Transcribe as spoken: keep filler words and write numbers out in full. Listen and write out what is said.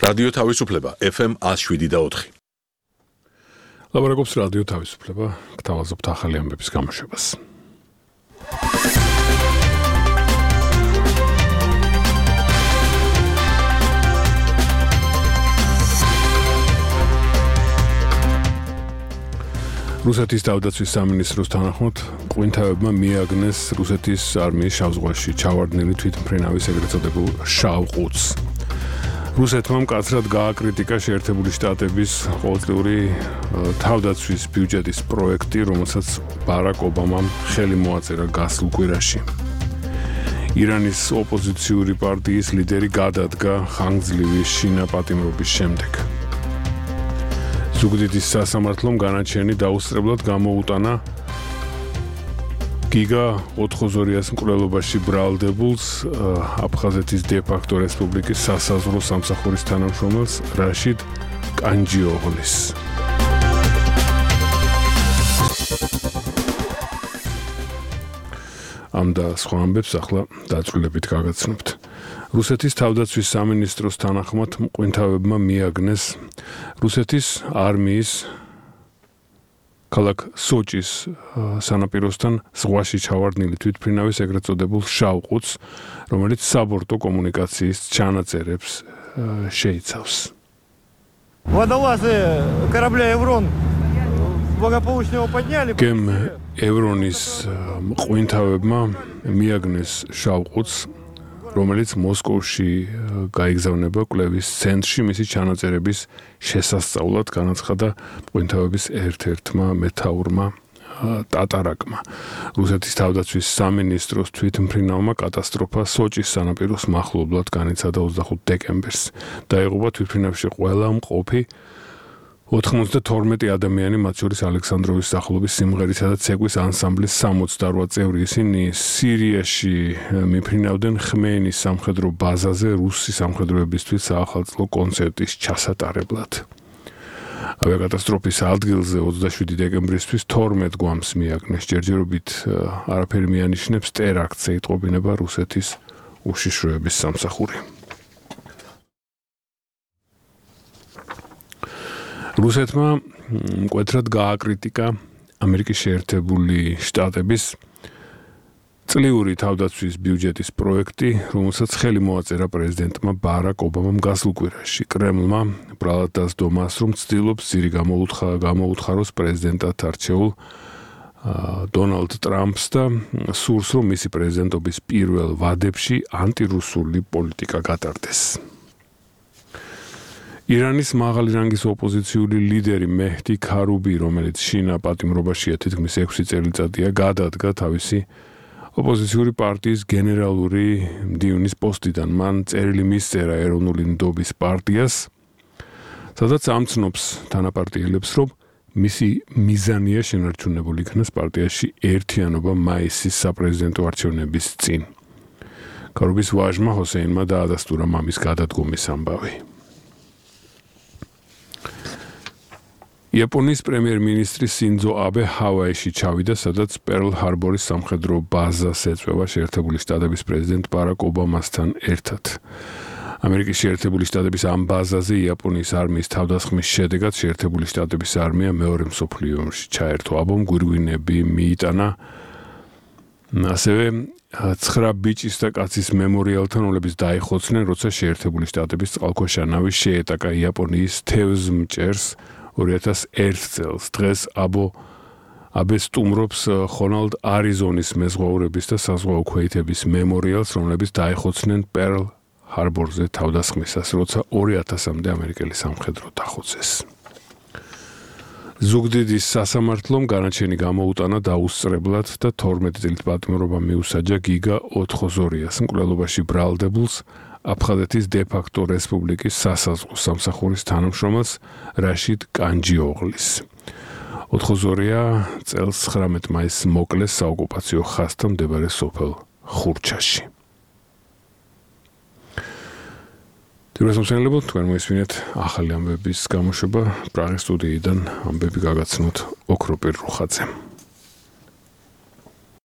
რადიო თავისუფლება ეფ ემ one oh seven და four. ლაბორატორიის რადიო თავისუფლება გთავაზობთ ახალი ამბების გამოშვებას. რუსეთის თავდაცვის სამინისტროს თანახმად ყვინთავებმა მიაგნეს რუსეთის არმიის შავ ზღვაში ჩავარდნილი თვითმფრინავის ეგრეთ წოდებულ შავ ყუთს. რუსეთმა მკაცრად გააკრიტიკა შეერთებული შტატების ყოველწლიური თავდაცვის ბიუჯეტის პროექტი, რომელსაც ბარაკ ობამამ ხელი მოაწერა გასულ კვირაში. ირანის ოპოზიციური პარტიის ლიდერი გადადგა ხანგრძლივი შინაპატიმრობის შემდეგ. ზუგდიდის სასამართლომ განაჩენი დაუსწრებლად გამოუტანა გიგა ოთხოზორიას მკვლელობაში ბრალდებულს აფხაზეთის დე-ფაქტო რესპუბლიკის სასაზღვრო სამსახურის თანამშრომელს რაშიდ კანჯიოღლის. ამ და სხვა ამბებს ახლა დაწვრილებით გაგაცნობთ. რუსეთის თავდაცვის სამინისტროს თანახმად მყვინთავებმა მიაგნეს რუსეთის არმიის ქალაქ სოჭის სანაპიროსთან ზღვაში ჩავარდნილი თვითმფრინავის ეგრეთ წოდებულ შავ ყუთს, რომელიც საბორტო კომუნიკაციის ჩანაწერებს შეიცავს. Водолазы корабля «Еврон» благополучно его подняли. გემ ევრონის მყვინთავებმა მიაგნეს შავ ყუთს, რომელიც მოსკოვში გაიგზავნება კვლევის ცენტრში მისი ჩანაწერების შესასწავლად, განაცხადა მყვინთავების ერთ-ერთმა მეთაურმა ტატარაკმა. რუსეთის თავდაცვის სამინისტროს თვითმფრინავმა კატასტროფა სოჭის სანაპიროს მახლობლად განიცადა ოცდახუთ დეკემბერს. დაიღუპა თვითმფრინავში ყველა მყოფი ოთხმოცდათორმეტი ადამიანი, მათ შორის ალექსანდროვის სახელობის სიმღერისა და ცეკვის ანსამბლის სამოცდაოთხ წევრი. ისინი სირიაში მიფრინავდნენ ხმეინის სამხედრო ბაზაზე რუსი სამხედროებისთვის საახალწლო კონცერტის ჩასატარებლად. ავიაკატასტროფის ადგილზე ოცდაშვიდი დეკემბრისთვის თორმეტ გვამს მიაგნეს. ჯერჯერობით არაფერი მიანიშნებს ტერაქტზე იტყობინება რუსეთის უშიშროების სამსახური. რუსეთმა მკვეთრად გააკრიტიკა ამერიკის შეერთებული შტატების წლიური თავდაცვის ბიუჯეტის პროექტი, რომელსაც ხელი მოაწერა პრეზიდენტმა ბარაკ ობამამ გასულ კვირაში. კრემლმა ბრალად დასდო მას, რომ ცდილობს ძირი გამოუთხაროს პრეზიდენტად არჩეულ დონალდ ტრამპს და სურს, რომ მისი პრეზიდენტობის პირველ ვადებში ანტირუსული პოლიტიკა გატარდეს. ირანის მაღალი რანგის ოპოზიციური ლიდერი მეჰდი ქარუბი, რომელიც შინაპატიმრობაშია თითქმის ექვსი წელიწადია, გადადგა თავისი ოპოზიციური პარტიის გენერალური მდივნის პოსტიდან. მან წერილი მისწერა ეროვნული ნდობის პარტიას, სადაც ამცნობს თანაპარტიელებს, რომ მისი მიზანია შენარჩუნებული იქნას პარტიაში ერთიანობა მაისის საპრეზიდენტო არჩევნების წინ. ქარუბის ვაჟმა ჰოსეინმა დაადასტურა მამის გადადგომის ამბავი. იაპონიის პრემიერ-მინისტრი სინძო აბე ჰავაიში ჩავიდა, სადაც პერლ ჰარბორის სამხედრო ბაზას ეწვევა შეერთებული შტატების პრეზიდენტ ბარაკ ობამასთან ერთად. ამერიკის შეერთებული შტატების ამ ბაზაზე იაპონიის არმიის თავდასხმის შედეგად შეერთებული შტატების არმია მეორე მსოფლიო ომში ჩაერთო. აბომ გვირგვინები მიიტანა ასევე ცხრა ბიჭის და კაცის მემორიალთან, რომლებიც დაიხოცნენ, როცა შეერთებული შტატების წყალქვეშა ნავი შეეტაკა იაპონიის თევზმჭერს ორი ათას ერთ წელს. დღეს აბო აბე სტუმრობს ხონალდ არიზონის მეზღვაურების და საზღვაო ქვეითების მემორიალს, რომლებიც დაიხოცნენ პერლ ჰარბორზე თავდასხმისას, როცა ორი ათასამდე ამერიკელი სამხედრო დახოცეს. ზუგდიდის სასამართლომ განაჩენი გამოუტანა დაუსწრებლად და თორმეტი წელით პატიმრობა მიუსაჯა გიგა ოთხოზორიას მკვლელობაში ბრალდებულს აფხაზეთის დე-ფაქტო რესპუბლიკის სასაზღვრო სამსახურის თანამშრომელს რაშიდ კანჯიოღლის. ოთხოზორია წელს ცხრამეტ მაისს მოკლეს საოკუპაციო ხაზთან მდებარე სოფელ ხურჩაში. თუმცა თქვენ მოისმინეთ ახალი ამბების გამოშვება პრაღის სტუდიიდან ამბები გაგაცნოთ ოქროპირ რუხაძემ.